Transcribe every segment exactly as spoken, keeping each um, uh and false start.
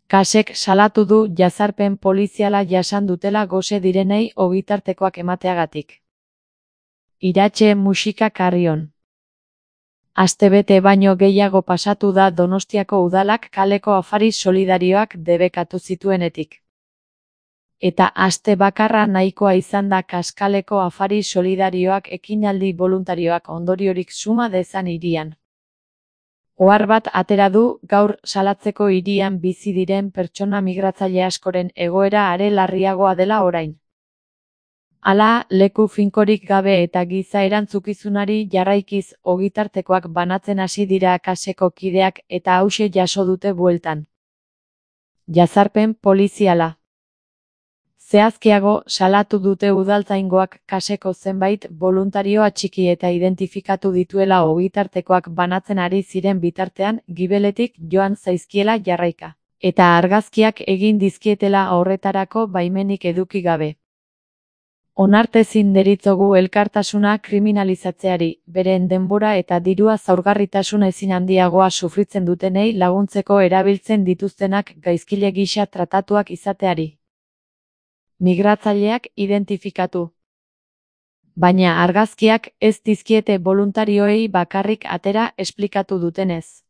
Kasek salatu du jazarpen poliziala jasan dutela gose direnei ogitartekoak emateagatik. Iratxe musika Carrion. Astebete baino gehiago pasatu da Donostiako udalak kaleko afari solidarioak debekatu zituenetik. Eta aste bakarra nahikoa izan da Kaskaleko afari solidarioak ekinaldi boluntarioak ondoriorik suma dezan hirian. Ohar bat atera du gaur salatzeko hirian bizi diren pertsona migratzaile askoren egoera are larriagoa dela orain. Hala, leku finkorik gabe eta giza erantzukizunari jarraikiz ogitartekoak banatzen hasi dira Kaseko kideak eta hauxe jaso dute bueltan. Jazarpen poliziala. Zehazkiago, salatu dute udaltzaingoak Kaseko zenbait boluntario atxiki eta identifikatu dituela ogitartekoak banatzen ari ziren bitartean gibeletik joan zaizkiela jarraika, eta argazkiak egin dizkietela horretarako baimenik eduki gabe. Onartezin deritzogu elkartasuna kriminalizatzeari, beren denbora eta dirua zaurgarritasun ezin handiagoa sufritzen dutenei laguntzeko erabiltzen dituztenak gaizkile gisa tratatuak izateari. Migratzaileak identifikatu. Baina argazkiak ez dizkiete boluntarioei bakarrik atera esplikatu dutenez.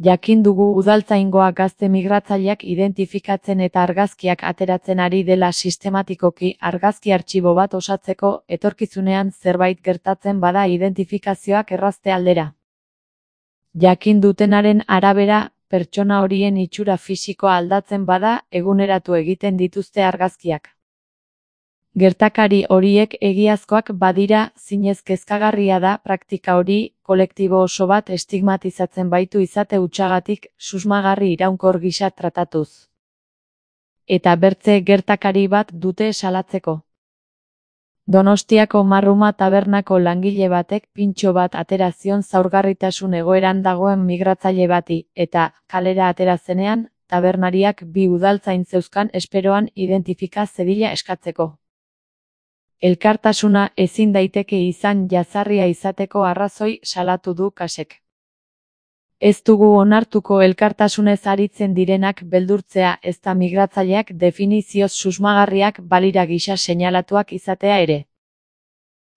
Jakin dugu udaltzaingoa gazte migratzaileak identifikatzen eta argazkiak ateratzen ari dela sistematikoki argazki artxibo bat osatzeko etorkizunean zerbait gertatzen bada identifikazioak errazte aldera. Jakin dutenaren arabera, pertsona horien itxura fisikoa aldatzen bada eguneratu egiten dituzte argazkiak. Gertakari horiek egiazkoak badira, zinez kezkagarria da praktika hori kolektibo oso bat estigmatizatzen baitu izate hutsagatik susmagarri iraunkor gisa tratatuz. Eta bertze gertakari bat dute salatzeko. Donostiako Marruma tabernako langile batek pintxo bat atera zion zaurgarritasun egoeran dagoen migratzaile bati, eta, kalera atera zenean, tabernariak bi udaltzain zeuzkan esperoan identifika zedila eskatzeko. Elkartasuna ezin daiteke izan jazarria izateko arrazoi salatu du Kasek. Ez dugu onartuko elkartasunez aritzen direnak beldurtzea ezta migratzaileak definizioz susmagarriak balira gisa seinalatuak izatea ere.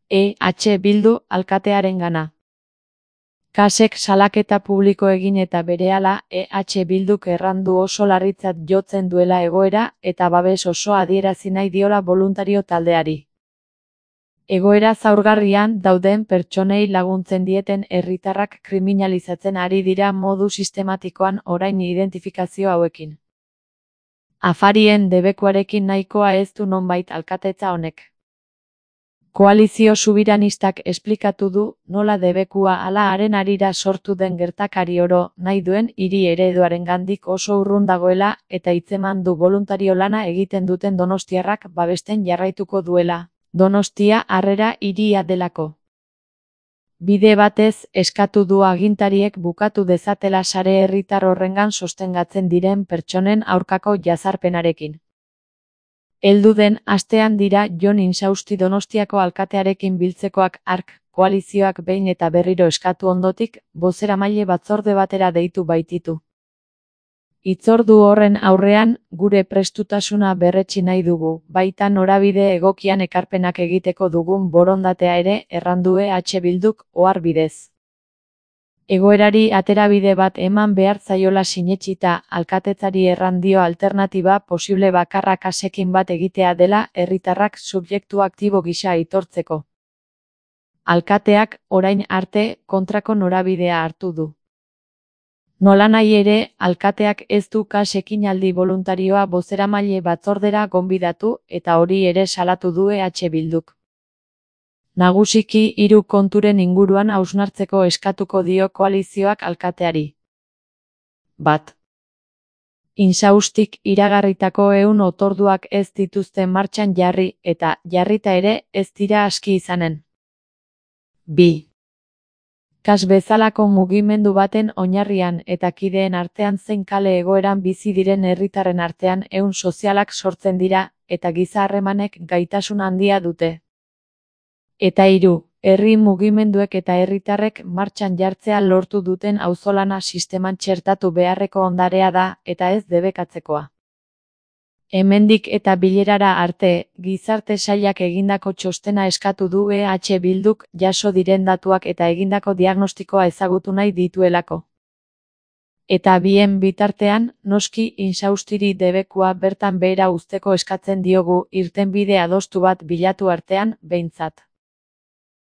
E H Bildu alkatearengana. Kasek salaketa publiko egin eta berehala E H Bilduk errandu oso larritzat jotzen duela egoera eta babes oso adierazi nahi diola boluntario taldeari. Egoera zaurgarrian dauden pertsonei laguntzen dieten herritarrak kriminalizatzen ari dira modu sistematikoan orain identifikazio hauekin. Afarien debekuarekin nahikoa ez du nonbait alkatetza honek. Koalizio subiranistak esplikatu du nola debekua ala haren harira sortu den gertakari oro nahi duen hiri ereduarengandik oso urrun dagoela eta hitzeman du boluntario lana egiten duten donostiarrak babesten jarraituko duela. Donostia harrera hiria delako. Bide batez eskatu du agintariek bukatu dezatela sare herritar horrengan sostengatzen diren pertsonen aurkako jazarpenarekin. Heldu den astean dira Jon Insausti Donostiako alkatearekin biltzekoak hark koalizioak behin eta berriro eskatu ondotik bozeramaile batzorde batera deitu baititu. Hitzordu horren aurrean, gure prestutasuna berretsi nahi dugu, baita norabide egokian ekarpenak egiteko dugun borondatea ere errandu E H Bilduk ohar bidez. Egoerari aterabide bat eman behar zaiola sinetsita, alkatetzari errandio alternatiba posible bakarra Kasekin bat egitea dela herritarrak subjektu aktibo gisa aitortzeko. Alkateak, orain arte, kontrako norabidea hartu du. Nolanahi ere, alkateak ez du Kasekin aldi voluntarioa bozeramaile batzordera gonbidatu eta hori ere salatu du E H Bilduk. Nagusiki hiru konturen inguruan hausnartzeko eskatuko dio koalizioak alkateari. Bat. Insaustik iragarritako ehun otorduak ez dituzte martxan jarri eta jarrita ere ez dira aski izanen. Bi. Kas bezalako mugimendu baten oinarrian eta kideen artean zein kale egoeran bizi diren herritarren artean ehun sozialak sortzen dira eta giza harremanek gaitasun handia dute. Eta hiru, Herri mugimenduek eta herritarrek martxan jartzea lortu duten auzolana sisteman txertatu beharreko ondarea da, eta ez debekatzekoa. Hemendik eta bilerara arte, Gizarte Sailak egindako txostena eskatu du E H Bilduk, jaso diren datuak eta egindako diagnostikoa ezagutu nahi dituelako. Eta bien bitartean, noski Insaustiri debekua bertan behera uzteko eskatzen diogu, irtenbide adostu bat bilatu artean, behintzat.